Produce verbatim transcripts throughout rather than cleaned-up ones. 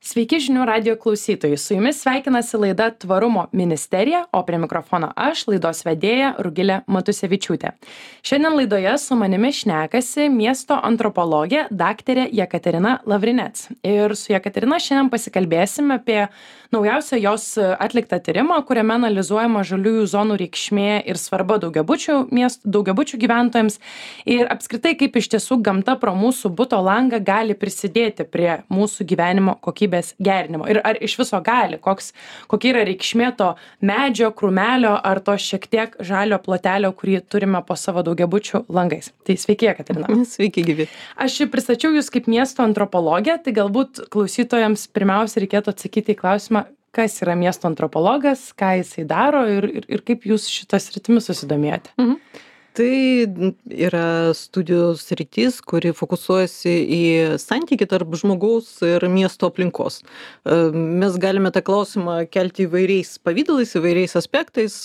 Sveiki žinių radio klausytojai. Su jumis sveikinasi laida Tvarumo ministerija, o prie mikrofono aš, laidos vedėja Rugilė Matusevičiūtė. Šiandien laidoje su manimi šnekasi miesto antropologė daktarė Jekaterina Lavrinec. Ir su Jekaterina šiandien pasikalbėsime apie naujausią jos atliktą tyrimą, kuriame analizuojama žaliųjų zonų reikšmė ir svarba daugiabučių miestų, daugiabučių gyventojams ir apskritai kaip iš tiesų gamta pro mūsų buto langą gali prisidėti prie mūsų gyvenimo kokybės gerinimo. Ir ar iš viso gali, koks, kokia yra reikšmė to medžio, krūmelio ar to šiek tiek žalio plotelio, kurį turime po savo daugiabučių langais. Tai sveiki, Jekaterina. Sveiki, gyvi. Aš pristačiau jūs kaip miesto antropologė, tai galbūt klausytojams pirmiausia reikėtų atsakyti į klausimą, kas yra miesto antropologas, ką jisai daro ir, ir, ir kaip jūs šitas rytimis susidomėjote. Mhm. Tai yra studijos sritis, kuri fokusuojasi į santykį tarp žmogaus ir miesto aplinkos. Mes galime tą klausimą kelti įvairiais pavydalais, įvairiais aspektais.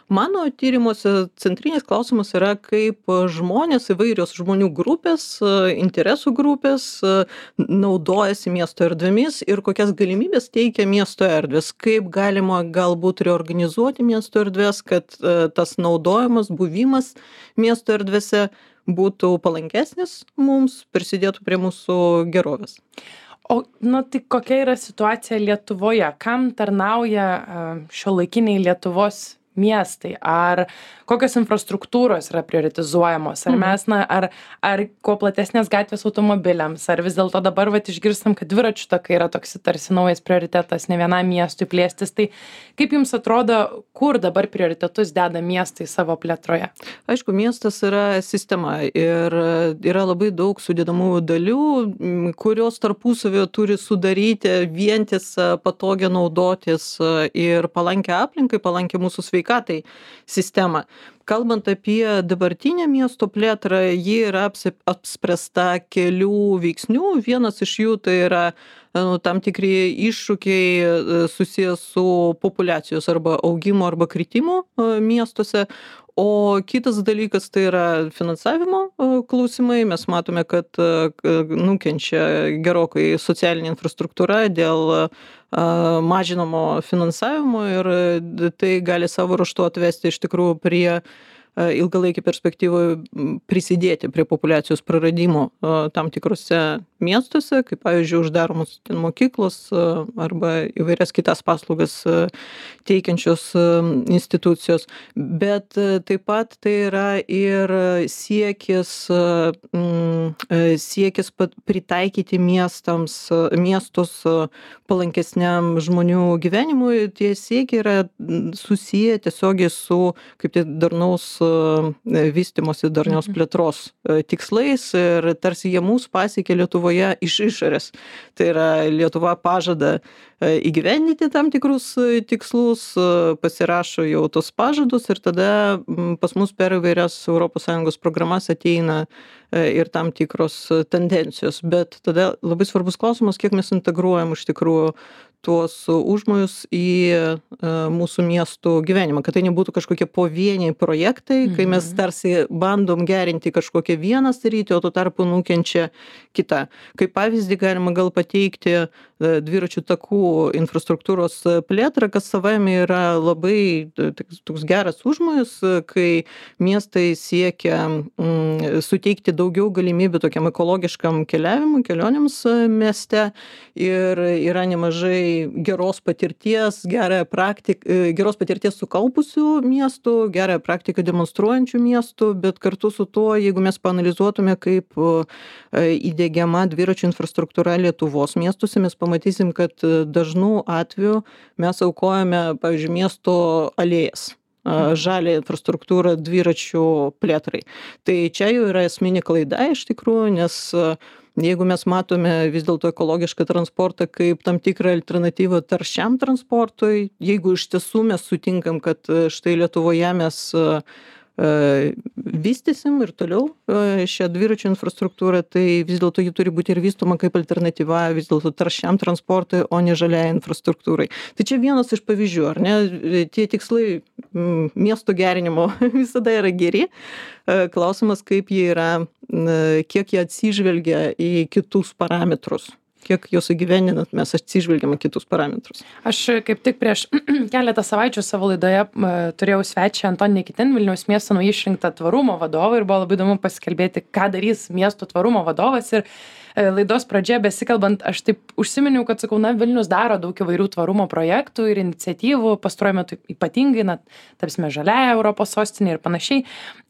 Mano tyrimuose centrinis klausimas yra, kaip žmonės, įvairios žmonių grupės, interesų grupės naudojasi miesto erdvėmis ir kokias galimybės teikia miesto erdvės, kaip galima galbūt reorganizuoti miesto erdvės, kad tas naudojimas, buvimas miesto erdvėse būtų palankesnis mums, prisidėtų prie mūsų gerovės. O, na, tai kokia yra situacija Lietuvoje? Kam tarnauja šiuolaikiniai Lietuvos miestai? Ar kokios infrastruktūros yra prioritizuojamos? Ar mes, na, ar, ar kuo platesnės gatvės automobiliams? Ar vis dėlto dabar vat išgirstam, kad dviračių takai yra toks tarsi naujas prioritetas ne vienam miestui plėstis? Tai kaip jums atrodo, kur dabar prioritetus deda miestai savo plėtroje? Aišku, miestas yra sistema ir yra labai daug sudedamųjų dalių, kurios tarpusavio turi sudaryti vientisą, patogią naudotis ir palankę aplinkai, palankę mūsų sveikatai sistemą. Kalbant apie dabartinę miesto plėtrą, ji yra apspręsta kelių veiksnių. Vienas iš jų tai yra nu, tam tikri iššūkiai susijęs su populiacijos arba augimo arba kritimo miestuose. O kitas dalykas tai yra finansavimo klausimai. Mes matome, kad nukenčia gerokai socialinė infrastruktūra dėl mažinamo finansavimo ir tai gali savo ruožtu atvesti iš tikrųjų prie ilgalaikį perspektyvą prisidėti prie populiacijos praradimo tam tikrose miestuose, kaip pavyzdžiui uždaromos mokyklos arba įvairias kitas paslaugas teikiančios institucijos. Bet taip pat tai yra ir siekis, siekis pritaikyti miestams, miestus palankesniam žmonių gyvenimui. Tie siekiai yra susiję tiesiogiai su kaip tai darnaus vystymosi, darnios plėtros tikslais ir tarsi jie mūsų pasiekė Lietuvoje iš išorės. Tai yra Lietuva pažada įgyvendinti tam tikrus tikslus, pasirašo jau tos pažadus ir tada pas mus per įvairias Europos Sąjungos programas ateina ir tam tikros tendencijos. Bet tada labai svarbus klausimas, kiek mes integruojam iš tikrųjų tuos užmojus į mūsų miestų gyvenimą, kad tai nebūtų kažkokie pavieniai projektai, kai mes tarsi bandom gerinti kažkokią vieną sritį, o tuo tarpu nukenčia kita. Kaip pavyzdį galima gal pateikti dviračių takų infrastruktūros plėtrą, kas savaime yra labai toks geras užmojus, kai miestai siekia mm, suteikti daugiau galimybių tokiam ekologiškam keliavimui, kelionėms mieste ir yra nemažai geros patirties, gerąją praktiką, geros patirties sukaupusių miestų, gerąją praktiką demonstruojančių miestų, bet kartu su tuo, jeigu mes paanalizuotume, kaip įdiegiama dviračių infrastruktūra Lietuvos miestuose, mes pamatysim, kad dažnų atveju mes aukojame, pavyzdžiui, miesto alėjas, žalią infrastruktūrą dviračių plėtrai. Tai čia jau yra esminė klaida iš tikrųjų, nes jeigu mes matome vis dėlto ekologišką transportą kaip tam tikrą alternatyvą taršiam transportui, jeigu iš tiesų mes sutinkam, kad štai Lietuvoje mes vystysim ir toliau šią dviračių infrastruktūrą, tai vis dėlto ji turi būti ir vystoma kaip alternatyva vis dėlto taršiam transportui, o ne žaliai infrastruktūrai. Tai čia vienas iš pavyzdžių, ar ne? Tie tikslai miesto gerinimo visada yra geri. Klausimas, kaip jie yra, kiek jie atsižvelgia į kitus parametrus. kiek jos įgyvendinant mes atsižvelgiam į kitus parametrus. Aš kaip tik prieš keletą savaičių savo laidoje uh, turėjau svečią Antonį Nikitin, Vilniaus miesto naujai išrinktą tvarumo vadovą ir buvo labai įdomu pasikalbėti, ką darys miesto tvarumo vadovas. Ir uh, laidos pradžioje besikalbant, aš taip užsiminiau, kad sakau, na, Vilnius daro daug įvairių tvarumo projektų ir iniciatyvų, pastaruoju metu ypatingai, na, tapsime žaliąją Europos sostinę ir panašiai.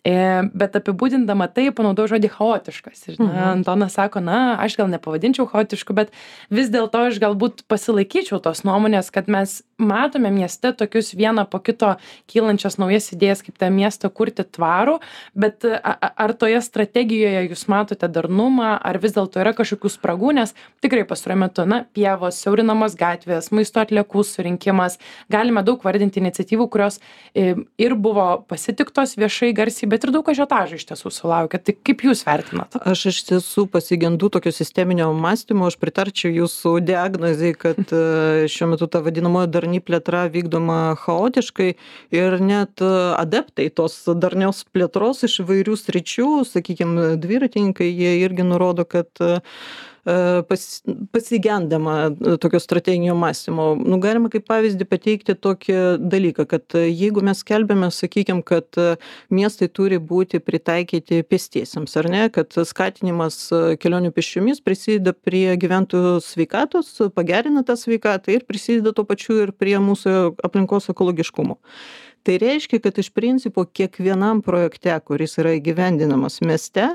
E, bet apibūdindama tai, panaudojau žodį chaotiškas. Ir na, mhm. Antonas sako, na, aš gal nepavadinčiau chaotišku, bet vis dėlto aš galbūt pasilaikyčiau tos nuomonės, kad mes matome mieste tokius vieną po kito kylančias naujas idėjas, kaip tą miestą kurti tvarų, bet a, ar toje strategijoje jūs matote darnumą, ar vis dėlto yra kažkokių spragų, nes tikrai pastaruoju metu, na, pievos, siaurinamos gatvės, maisto atliekų surinkimas, galime daug vardinti iniciatyvų, kurios e, ir buvo pasitiktos viešai garsiai, bet ir daug ažiotažų iš tiesų sulaukia. Tai kaip jūs vertinat? Aš iš tiesų pasigendu tokio sisteminio mąstymo, aš pritarčiau jūsų diagnozei, kad šiuo metu ta vadinamoji darni plėtra vykdoma chaotiškai ir net adeptai tos darnios plėtros iš įvairių sričių, sakykime, dviratininkai, jie irgi nurodo, kad pas, pasigendama tokio strateginio mąstymo. Nu, galima kaip pavyzdį pateikti tokį dalyką, kad jeigu mes kelbėme, sakykime, kad miestai turi būti pritaikyti pėstiesiems, ar ne, kad skatinimas kelionių pėsčiomis prisideda prie gyventojų sveikatos, pagerina tą sveikatą ir prisideda tuo pačiu ir prie mūsų aplinkos ekologiškumo. Tai reiškia, kad iš principo kiekvienam projekte, kuris yra įgyvendinamas mieste,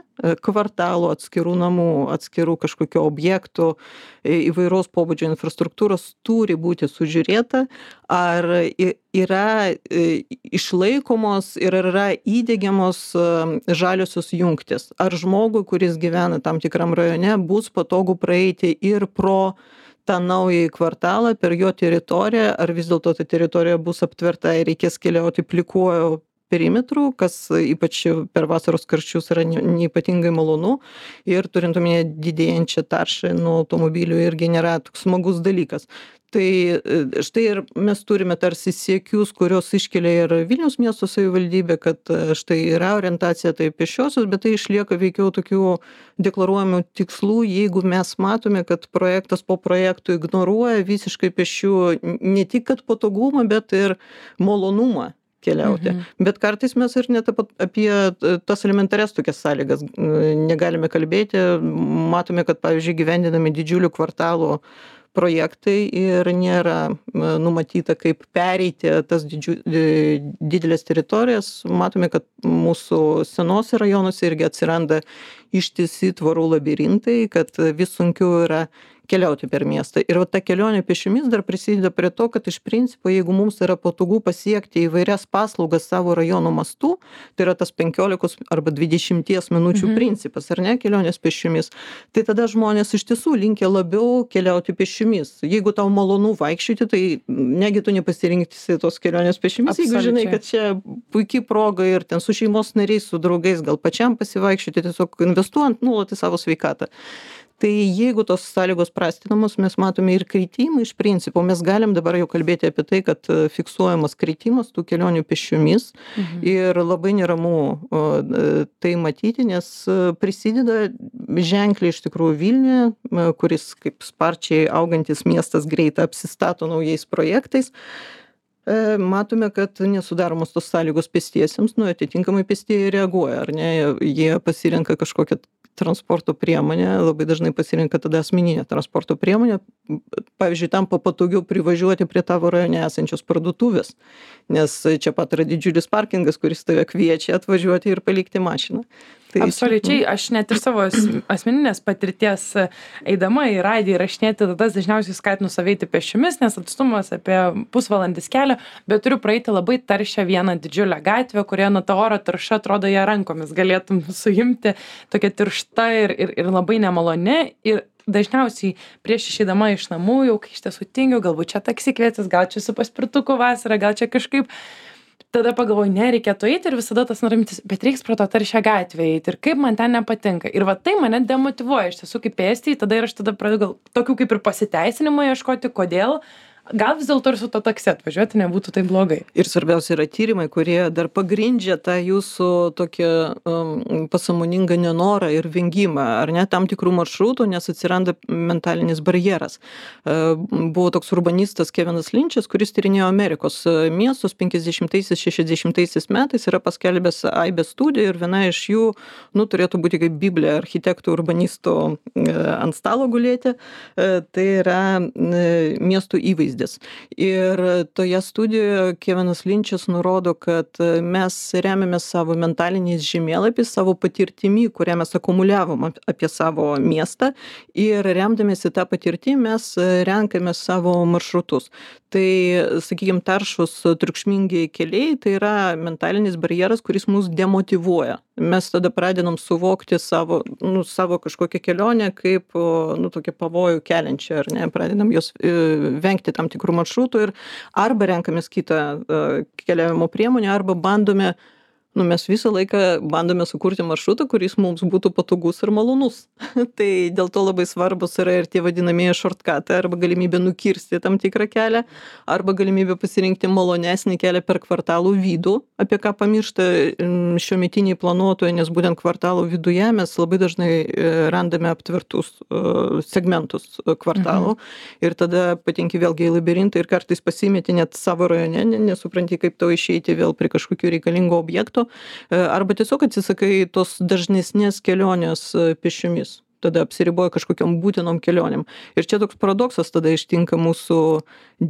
kvartalų, atskirų namų, atskirų kažkokio objektų, įvairaus pobūdžio infrastruktūros turi būti sužiūrėta, ar yra išlaikomos ir yra įdiegiamos žaliosios jungtis. Ar žmogui, kuris gyvena tam tikram rajone, bus patogu praeiti ir pro tą naują kvartalą per jo teritoriją, ar vis dėlto ta teritorija bus aptverta ir reikės keliauti plikuoju perimetru, kas ypač per vasaros karščius yra neypatingai malonu ir turint omenyje didėjančią taršą nuo automobilių irgi nėra toks smagus dalykas. Tai štai ir mes turime tarsi siekius, kurios iškelia ir Vilniaus miesto savivaldybė, kad štai yra orientacija tai pėsčiosios, bet tai išlieka veikiau tokių deklaruojamų tikslų, jeigu mes matome, kad projektas po projektų ignoruoja visiškai pėsčių ne tik kad patogumą, bet ir malonumą keliauti. Mhm. Bet kartais mes ir net apie tas elementarias tokias sąlygas negalime kalbėti. Matome, kad, pavyzdžiui, gyvendinami didžiulių kvartalų projektai ir nėra numatyta, kaip pereiti tas didžiu, didelės teritorijas. Matome, kad mūsų senose rajonuose irgi atsiranda ištisi tvorų labirintai, kad vis sunkiau yra keliauti per miestą. Ir va, ta kelionė pėsčiomis dar prisideda prie to, kad iš principo, jeigu mums yra patogu pasiekti įvairias paslaugas savo rajono mastu, tai yra tas penkiolikos arba dvidešimties minučių mhm. principas, ar ne, kelionės pėsčiomis, tai tada žmonės iš tiesų linkia labiau keliauti pėsčiomis. Jeigu tau malonu vaikščioti, tai negi tu nepasirinksi tos kelionės pėsčiomis, jeigu žinai, kad čia puikiai proga ir ten su šeimos nariais, su draugais, gal pačiam pasivaikščioti, tiesiog investuojant nuolat į savo sveikatą. Tai jeigu tos sąlygos prastinamos, mes matome ir kritimą iš principo. Mes galim dabar jau kalbėti apie tai, kad fiksuojamas kritimas tų kelionių pėsčiomis mhm. ir labai neramu tai matyti, nes prisideda ženkliai iš tikrųjų Vilniuje, kuris kaip sparčiai augantis miestas greitai apsistato naujais projektais. Matome, kad nesudaromos tos sąlygos pėstiesiems, nu, atitinkamai pėstieji reaguoja, ar ne, jie pasirenka kažkokią transporto priemonę, labai dažnai pasirenka tada asmeninę transporto priemonę, pavyzdžiui, tampa patogiau privažiuoti prie tavo rajone esančios parduotuvės, nes čia pat yra didžiulis parkingas, kuris tave kviečia atvažiuoti ir palikti mašiną. Tai absoliučiai, aš net ir savo asmeninės patirties eidama į radiją įrašinėti tada dažniausiai skatinu save eiti pėsčiomis, nes atstumas apie pusvalandis kelio, bet turiu praeiti labai taršią vieną didžiulę gatvę, kurioje nuo to oro tarša atrodo ją rankomis galėtum suimti, tokia tiršta ir, ir, ir labai nemaloni. Ir dažniausiai prieš išeidama iš namų, jau kai iš tiesų tingiu, galbūt čia taksi kvietis, gal čia su paspirtuku vasarą, gal čia kažkaip. Tada pagalvoju, ne, reikėtų eiti ir visada tas norimtis, bet reiks pro to taršią gatvę eiti ir kaip man ten nepatinka. Ir va tai mane demotyvuoja iš tiesų kaip pėstį, tada ir aš tada pradedu gal tokių kaip ir pasiteisinimų ieškoti, kodėl gal vis dėlto ir su to taksi atvažiuoti nebūtų taip blogai. Ir svarbiausia yra tyrimai, kurie dar pagrindžia tą jūsų tokią um, pasąmoningą nenorą ir vengimą, ar ne, tam tikrų maršrutų, nes atsiranda mentalinis barjeras. Uh, buvo toks urbanistas Kevinas Linčas, kuris tyrinėjo Amerikos miestus penkiasdešimtaisiais šešiasdešimtaisiais metais, yra paskelbęs aibę studijų ir viena iš jų, nu, turėtų būti kaip Biblija architektų urbanistų uh, ant stalo gulėti, uh, tai yra uh, miestų įvaizdis. Ir toje studijoje Kevinas Linčas nurodo, kad mes remiamės savo mentaliniais žemėlapiais, savo patirtimi, kurią mes akumuliavom apie savo miestą ir remdamėsi tą patirtį mes renkame savo maršrutus. Tai, sakykime, taršus triukšmingi keliai, tai yra mentalinis barjeras, kuris mus demotyvuoja. Mes tada pradedam suvokti savo, nu, savo kažkokią kelionę kaip, nu, tokią pavojų keliančią, ar ne, pradedam jos e, vengti tam tikrų maršrutų ir arba renkamės kitą e, keliavimo priemonę, arba bandome, nu, mes visą laiką bandome sukurti maršrutą, kuris mums būtų patogus ir malonus. Tai dėl to labai svarbus yra ir tie vadinamieji shortcutai, arba galimybė nukirsti tam tikrą kelią, arba galimybė pasirinkti malonesnį kelią per kvartalų vidų, apie ką pamiršta šiuometiniai planuotojai, nes būtent kvartalų viduje mes labai dažnai randame aptvertus segmentus kvartalų. Mhm. Ir tada patenki vėlgi į labirintą ir kartais pasimeti net savo rajone, nesupranti, kaip to išeiti vėl prie kažkokių reikalingų objektų. Arba tiesiog atsisakai tos dažnesnės kelionės pėsčiomis, tada apsiriboja kažkokiom būtinom kelionėm. Ir čia toks paradoksas tada ištinka mūsų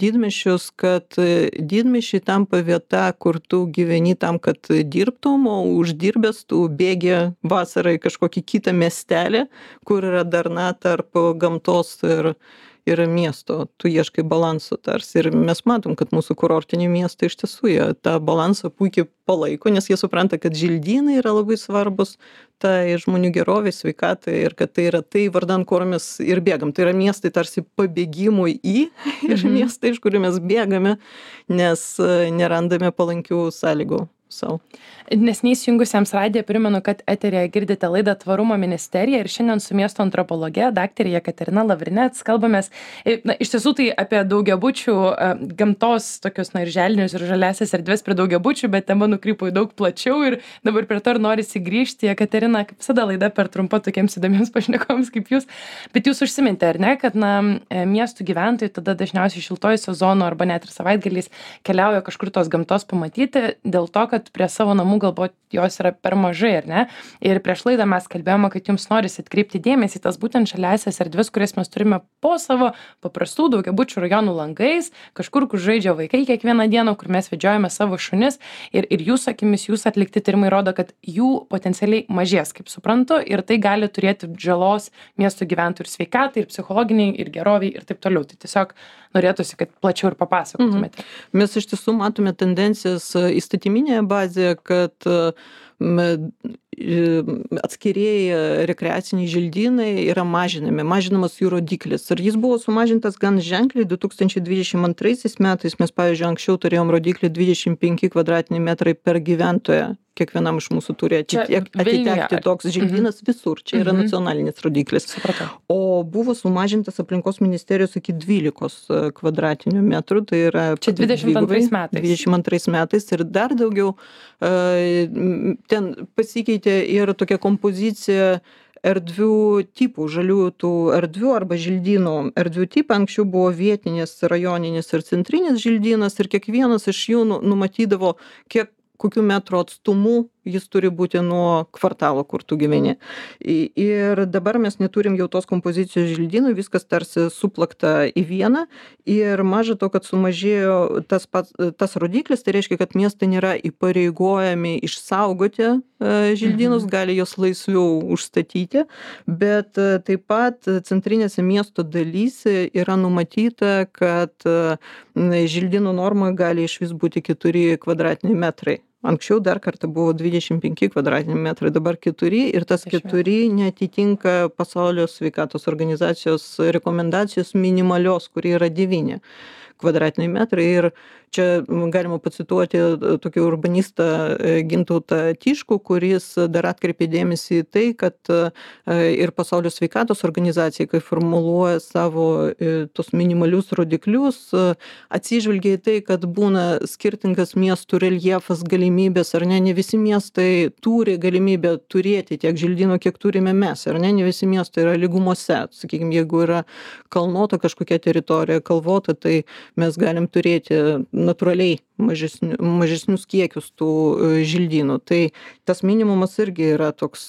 didmiesčius, kad didmiesčiai tampa vieta, kur tu gyveni tam, kad dirbtum, o uždirbęs tu bėgi vasarą į kažkokį kitą miestelį, kur yra darna tarp gamtos ir ir miesto, tu ieškai balanso tarsi ir mes matom, kad mūsų kurortiniai miestai iš tiesų jie tą balansą puikiai palaiko, nes jie supranta, kad želdynai yra labai svarbus tai žmonių gerovei, sveikatai ir kad tai yra tai vardan, kur mes ir bėgam. Tai yra miestai tarsi pabėgimui į ir mhm. miestai, iš kurių mes bėgame, nes nerandame palankių sąlygų savo. Neseniai įsijungusiems radiją primenu, kad eteryje girdite laidą Tvarumo ministerija ir šiandien su miesto antropologe, daktarė Jekaterina Lavrinec, kalbamės, na, iš tiesų tai apie daugiabučių gamtos tokius, na, ir želdinius ir žaliasias erdvės prie daugiabučių, bet tema nukrypo į daug plačiau ir dabar prie to ir norisi grįžti. Jekaterina, kaip visada laida per trumpa tokiems įdomiems pašnekovams kaip jūs, bet jūs užsimintė, ar ne, kad, na, miestų gyventojai tada dažniausiai šiltojų sezonų arba net ir savaitgaliais keliauja kažkur tos gamtos pamatyti dėl to, kad prie savo namų galbūt jos yra per mažai, ar ne? Ir prieš laidą mes kalbėjome, kad jums norisi atkreipti dėmesį į tas būtent žaliasias erdves, kurias mes turime po savo paprastų daugiabučių rajonų langais, kažkur, kur žaidžia vaikai kiekvieną dieną, kur mes vedžiojame savo šunis ir, ir jūsų akimis, jūs atlikti tyrimai rodo, kad jų potencialiai mažės, kaip suprantu, ir tai gali turėti žalos miesto gyventojų ir sveikatai, ir psichologiniai, ir geroviai, ir taip toliau. Tai tiesiog norėtųsi, kad plačiau ir papasakotumėte. Mhm. Mes iš tiesų matome tendencijas įstatyminėje bazėje, kad atskirieji rekreaciniai želdynai yra mažinami, mažinamas jų rodiklis. Ir jis buvo sumažintas gan ženkliai du tūkstančiai dvidešimt antraisiais metais. Mes, pavyzdžiui, anksčiau turėjom rodiklį dvidešimt penki kvadratiniai metrai per gyventoją. Kiekvienam iš mūsų turi atitek, atitekti toks želdynas mm-hmm. visur. Čia yra mm-hmm. nacionalinis rodiklis. Supratau. O buvo sumažintas aplinkos ministerijos iki dvylikos kvadratinių metrų. Tai yra čia dvidešimt antrais metais. dvidešimt antrais metais ir dar daugiau. Ten pasikeitė ir tokia kompozicija erdvių tipų, žalių tų erdvių arba želdynų erdvių tipą. Anksčiau buvo vietinis, rajoninis ir centrinis želdynas ir kiekvienas iš jų numatydavo, kiek kokių metrų atstumu jis turi būti nuo kvartalo, kur tu gyveni. Ir dabar mes neturim jau tos kompozicijos želdynų, viskas tarsi suplakta į vieną ir maža to, kad sumažėjo tas, pats, tas rodiklis, tai reiškia, kad miestai nėra įpareigojami išsaugoti želdynus, mhm. gali jos laisviau užstatyti, bet taip pat centrinėse miesto dalyse yra numatyta, kad želdynų norma gali išvis būti keturi kvadratiniai metrai. Anksčiau dar kartą buvo dvidešimt penki kvadratiniai metrai, dabar keturi ir tas keturi neatitinka pasaulio sveikatos organizacijos rekomendacijos minimalios, kuri yra devyni kvadratiniai metrai. Ir čia galima pacituoti tokį urbanistą Gintautą Tiškų, kuris dar atkreipė dėmesį į tai, kad ir Pasaulio sveikatos organizacija, kai formuluoja savo tos minimalius rodiklius, atsižvelgia į tai, kad būna skirtingas miestų reljefas, galimybės, ar ne, ne visi miestai turi galimybę turėti tiek želdynų, kiek turime mes, ar ne, ne visi miestai yra lygumose. Sakykime, jeigu yra kalnuota kažkokia teritorija, kalvota, tai mes galim turėti natūraliai mažesnius, mažesnius kiekius tų želdynų. Tai tas minimumas irgi yra toks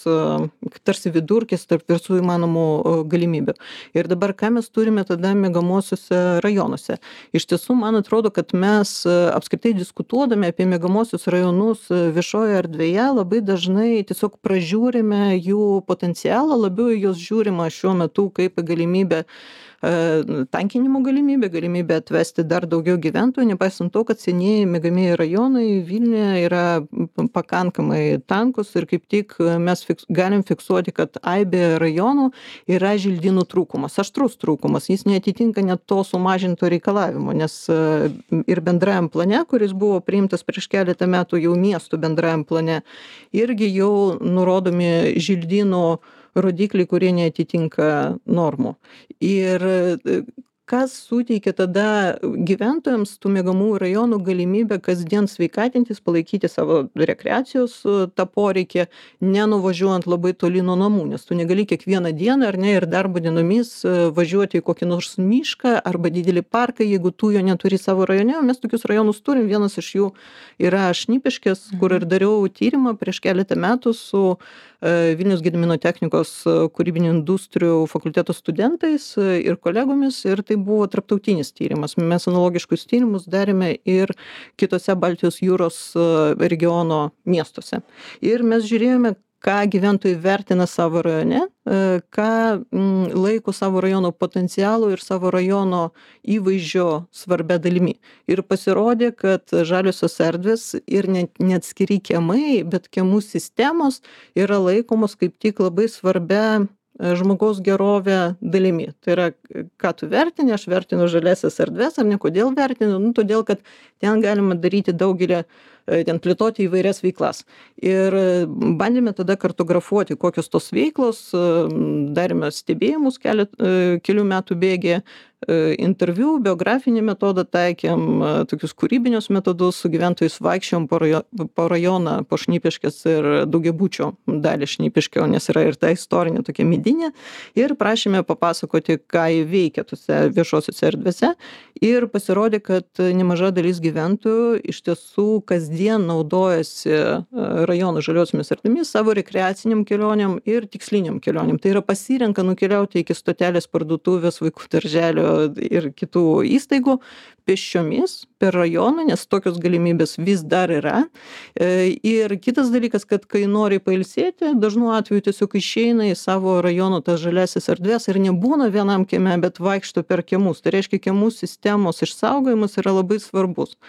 tarsi vidurkis tarp visų įmanomų galimybių. Ir dabar ką mes turime tada miegamuosiuose rajonuose? Iš tiesų, man atrodo, kad mes apskritai diskutuodami apie miegamuosius rajonus viešoje erdvėje labai dažnai tiesiog pražiūrime jų potencialą, labiau juos žiūrima šiuo metu kaip galimybę tankinimo galimybė, galimybė atvesti dar daugiau gyventojų, nepaisant to, kad senieji miegamieji rajonai Vilniuje yra pakankamai tankus ir kaip tik mes fiks, galim fiksuoti, kad aibė rajonų yra želdynų trūkumas, aštrus trūkumas, jis neatitinka net to sumažinto reikalavimo, nes ir bendrajam plane, kuris buvo priimtas prieš keletą metų jau miestų bendrajam plane, irgi jau nurodomi želdynų rodikliai, kurie neatitinka normų. Ir kas suteikia tada gyventojams tų miegamųjų rajonų galimybę kasdien sveikatintis, palaikyti savo rekreacijos tą poreikį, nenuvažiuojant labai toli nuo namų, nes tu negali kiekvieną dieną ar ne ir darbo dienomis važiuoti į kokį nors mišką arba didelį parką, jeigu tu jo neturi savo rajone. Mes tokius rajonus turim, vienas iš jų yra Šnipiškės, kur ir dariau tyrimą prieš keletą metų su Vilniaus Gedimino technikos kūrybinių industrijų fakulteto studentais ir kolegomis, ir tai buvo tarptautinis tyrimas. Mes analogiškus tyrimus darėme ir kitose Baltijos jūros regiono miestuose. Ir mes žiūrėjome, ką gyventojai vertina savo rajone, ką laiko savo rajono potencialų ir savo rajono įvaizdžio svarbia dalimi. Ir pasirodė, kad žaliosios erdvės ir net neatskiri kiemai, bet kiemų sistemos yra laikomos kaip tik labai svarbia žmogaus gerovę dalimi. Tai yra, ką tu vertini, aš vertinu žaliasias erdves, ar ne, kodėl vertinu, nu, todėl, kad ten galima daryti daugelį, ten plėtoti įvairias veiklas. Ir bandėme tada kartografuoti, kokios tos veiklos, darėme stebėjimus kelet, kelių metų bėgė, interviu, biografinį metodą taikėm, tokius kūrybinius metodus, su gyventojais vaikščiom po, rajo, po rajoną, po Šnipiškės ir daugiabučio dalį Šnipiškio, nes yra ir ta istorinė tokia medinė, ir prašėme papasakoti, ką jie veikia tose viešosiuose erdvėse. Ir pasirodė, kad nemaža dalis gyventojų iš tiesų kasdien naudojasi rajonų žaliosiomis erdvėmis savo rekreaciniam kelionėm ir tiksliniam kelionėm. Tai yra pasirenka nukeliauti iki stotelės, parduotuvės, vaikų darželio ir kitų įstaigų pėsčiomis per rajoną, nes tokios galimybės vis dar yra. Ir kitas dalykas, kad kai nori pailsėti, dažnu atveju tiesiog išeina į savo rajono tas žaliasis erdvės ir nebūna vienam kieme, bet vaikšto per kiemus. Tai reiškia, kiemų sistemos išsaugojimas yra labai svarbus.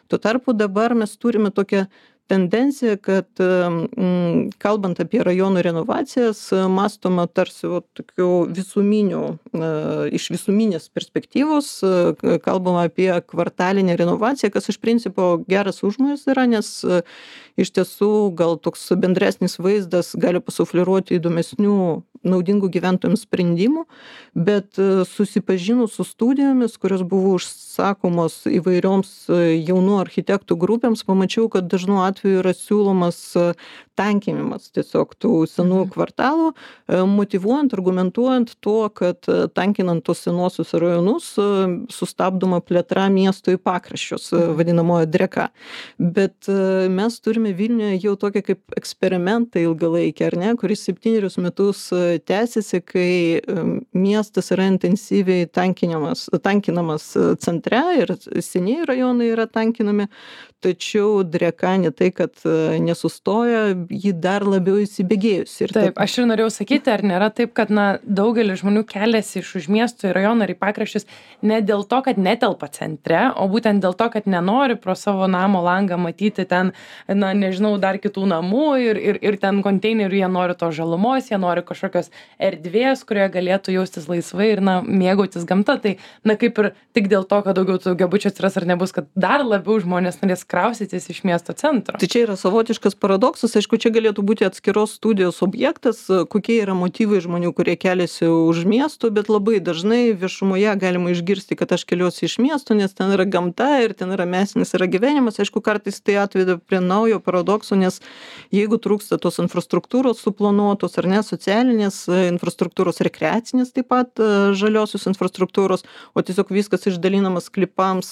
Tuo tarpu dabar mes turime tokią tendencija, kad m, kalbant apie rajonų renovacijas, mąstoma tarsi o, tokių visuminių, e, iš visuminės perspektyvos, e, kalbama apie kvartalinę renovaciją, kas iš principo geras užmojas yra, nes e, iš tiesų gal toks bendresnis vaizdas gali pasufliruoti įdomesnių, naudingų gyventojams sprendimų, bet e, susipažinus su studijomis, kurios buvo užsakomos įvairioms e, jaunų architektų grupėms, pamačiau, kad dažnu atveju yra siūlomas tankinimas tiesiog tų senų kvartalų, motyvuojant, argumentuojant tuo, kad tankinant tos senuosius rajonus sustabdoma plėtra miesto į pakraščius, vadinamoji dreka. Bet mes turime Vilniuje jau tokią kaip eksperimentą ilgalaikį, ar ne, kuris septynerius metus tęsiasi, kai miestas yra intensyviai tankinamas, tankinamas centre ir senieji rajonai yra tankinami, tačiau dreka ne tai, tai, kad nesustoja, ji dar labiau įsibėgėjusi. Taip, aš ir norėjau sakyti, ar nėra taip, kad na, daugelis žmonių keliasi iš už miesto į rajoną ar į pakraščius ne dėl to, kad netelpa centre, o būtent dėl to, kad nenori pro savo namo langą matyti ten, na, nežinau, dar kitų namų ir, ir, ir ten konteinerių, jie nori to žalumos, jie nori kažkokios erdvės, kurioje galėtų jaustis laisvai ir, na, mėgautis gamta. Tai, na, kaip ir tik dėl to, kad daugiau tų daugiabučių atsiras ar nebus, kad dar labiau žmonės norės kraustytis iš miesto centro. Tai čia yra savotiškas paradoksas, aišku, čia galėtų būti atskiros studijos objektas, kokie yra motyvai žmonių, kurie keliasi už miesto, bet labai dažnai viešumoje galima išgirsti, kad aš keliuosi iš miesto, nes ten yra gamta ir ten yra mesinis yra gyvenimas. Aišku, kartais tai atveda prie naujo paradokso, nes jeigu trūksta tos infrastruktūros suplanuotos ar ne, socialinės infrastruktūros, rekreacinės taip pat žaliosios infrastruktūros, o tiesiog viskas išdalinamas sklypams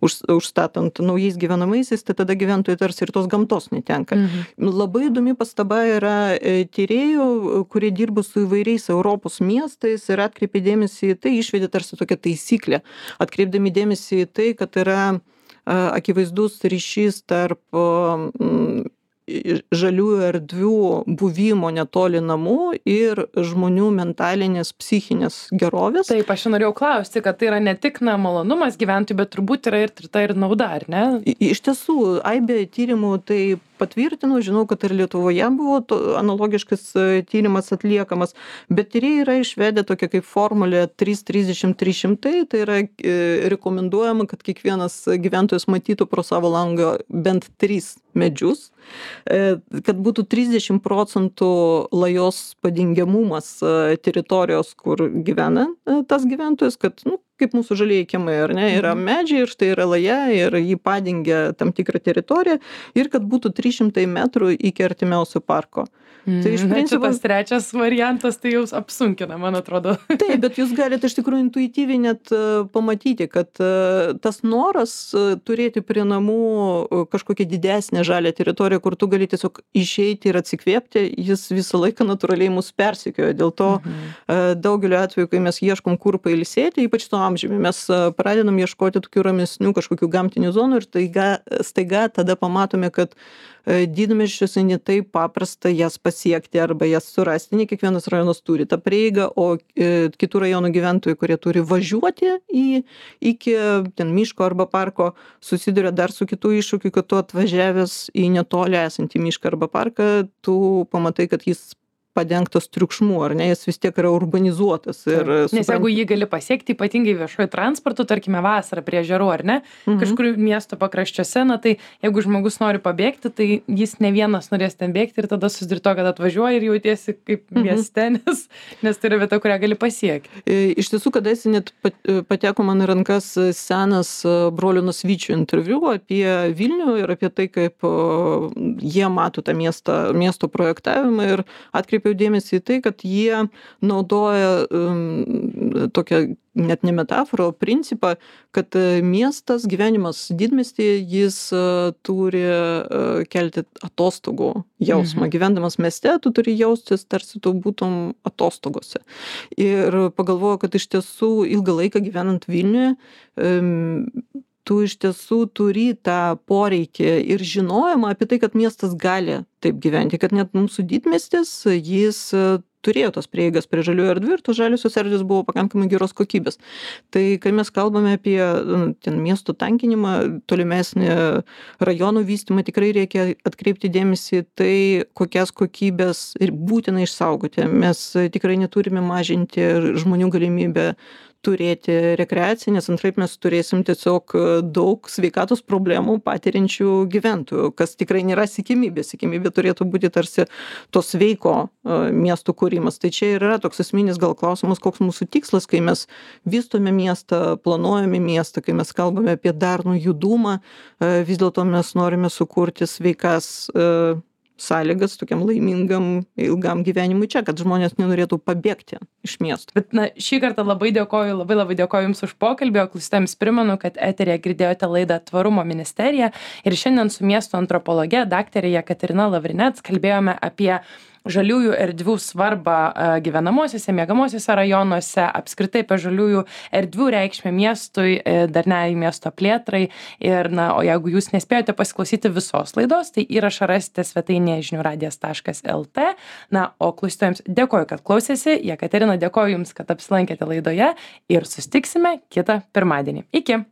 už, užstatant naujais gyvenamaisiais, tai tada gyventojai tarsi ir tos gamtos netenka. Mhm. Labai įdomi pastaba yra tyrėjų, kurie dirba su įvairiais Europos miestais ir atkreipė dėmesį į tai, išvedė tarsi tokią taisyklę, atkreipdami dėmesį į tai, kad yra akivaizdus ryšys tarp žaliųjų erdvių buvimo netoli namų ir žmonių mentalinės, psichinės gerovės. Taip, aš norėjau klausti, kad tai yra ne tik na, malonumas gyventojų, bet turbūt yra ir tai ir nauda, ar ne? Iš tiesų, aibė tyrimų tai patvirtinu, žinau, kad ir Lietuvoje buvo to, analogiškas tyrimas atliekamas, bet tyrėjai yra išvedę tokią kaip formulę trys trisdešimt trys šimtai, tai yra e, rekomenduojama, kad kiekvienas gyventojas matytų pro savo langą bent tris medžius, e, kad būtų trisdešimt procentų lajos padengiamumas e, teritorijos, kur gyvena e, tas gyventojas, kad, nu, kaip mūsų žalieji kiemai, ar ne, yra medžiai ir štai yra laja ir jį padengia tam tikrą teritoriją ir kad būtų trys šimtai metrų iki artimiausio parko. Mm, tai iš principo tas trečias variantas tai jau apsunkina, man atrodo. Taip, bet jūs galite iš tikrųjų intuityviai net uh, pamatyti, kad uh, tas noras uh, turėti prie namų uh, kažkokią didesnę žalią teritoriją, kur tu gali tiesiog išeiti ir atsikvėpti, jis visą laiką natūraliai mus persekioja. Dėl to mhm. uh, daugeliu atveju, kai mes ieškom kur pailsėti, ypač to amžiumi, mes uh, pradedam ieškoti tokių ramesnių kažkokių gamtinių zonų ir taiga, staiga tada pamatome, kad didmiesčiuose ne taip paprasta jas pasiekti arba jas surasti, ne kiekvienas rajonas turi tą prieigą, o e, kitų rajonų gyventojai, kurie turi važiuoti į, iki ten miško arba parko, susiduria dar su kitų iššūkių, kad tu atvažiavęs į netoli esantį mišką arba parką, tu pamatai, kad jis padengtas triukšmu, ar ne, jis vis tiek yra urbanizuotas. Ir, nes suprant... jeigu jį gali pasiekti, ypatingai viešuoju transportu, tarkime vasarą prie ežerų, ar ne, mhm. kažkur miesto pakraščiuose, na tai jeigu žmogus nori pabėgti, tai jis ne vienas norės ten bėgti ir tada susiduri to, kad atvažiuoji ir jautiesi kaip mhm. mieste, nes, nes tai yra vieta, kurią gali pasiekti. Iš tiesų, kadaise net pateko man į rankas senas brolio Nasvyčio interviu apie Vilnių ir apie tai, kaip jie mato tą miestą, miesto projektavimą ir atkreipė dėmesį į tai, kad jie naudoja um, tokią net ne metaforą, o principą, kad miestas, gyvenimas didmiestyje, jis uh, turi uh, kelti atostogų jausmą. Mhm. Gyvendamas mieste, tu turi jaustis, tarsi tu būtum atostogose. Ir pagalvoju, kad iš tiesų ilgą laiką gyvenant Vilniuje, um, tu iš tiesų turi tą poreikį ir žinojimą apie tai, kad miestas gali taip gyventi, kad net mūsų didmiestis, jis turėjo tos prieigas prie žaliųjų erdvių ir tos žaliosios erdvės buvo pakankamai geros kokybės. Tai kai mes kalbame apie ten miestų tankinimą, tolimesnį rajonų vystymą, tikrai reikia atkreipti dėmesį tai, kokias kokybės ir būtina išsaugoti. Mes tikrai neturime mažinti žmonių galimybę turėti rekreaciją, nes antraip mes turėsim tiesiog daug sveikatos problemų patiriančių gyventojų, kas tikrai nėra siekiamybė. Siekiamybė turėtų būti tarsi to sveiko uh, miestų kūrimas. Tai čia ir yra toks esminis gal klausimas, koks mūsų tikslas, kai mes vystome miestą, planuojame miestą, kai mes kalbame apie darnų judumą, uh, vis dėlto mes norime sukurti sveikas uh, sąlygas tokiam laimingam ilgam gyvenimui čia, kad žmonės nenorėtų pabėgti iš miesto. Bet na, šį kartą labai dėkoju, labai labai dėkoju Jums už pokalbį, o klausytojams primenu, kad eteryje girdėjote laidą Tvarumo ministerija ir šiandien su miesto antropologe daktarė Jekaterina Lavrinec kalbėjome apie žaliųjų erdvių svarbą gyvenamosiuose, miegamosiuose rajonuose, apskritai apie žaliųjų erdvių reikšmę miestui, darniai miesto plėtrai. Ir, na, o jeigu jūs nespėjote pasiklausyti visos laidos, tai įrašą rasite svetainėje žinių radijas taškas lt. Na, o klausytojams dėkoju, kad klausėsi. Jekaterina, dėkoju Jums, kad apsilankėte laidoje ir susitiksime kitą pirmadienį. Iki.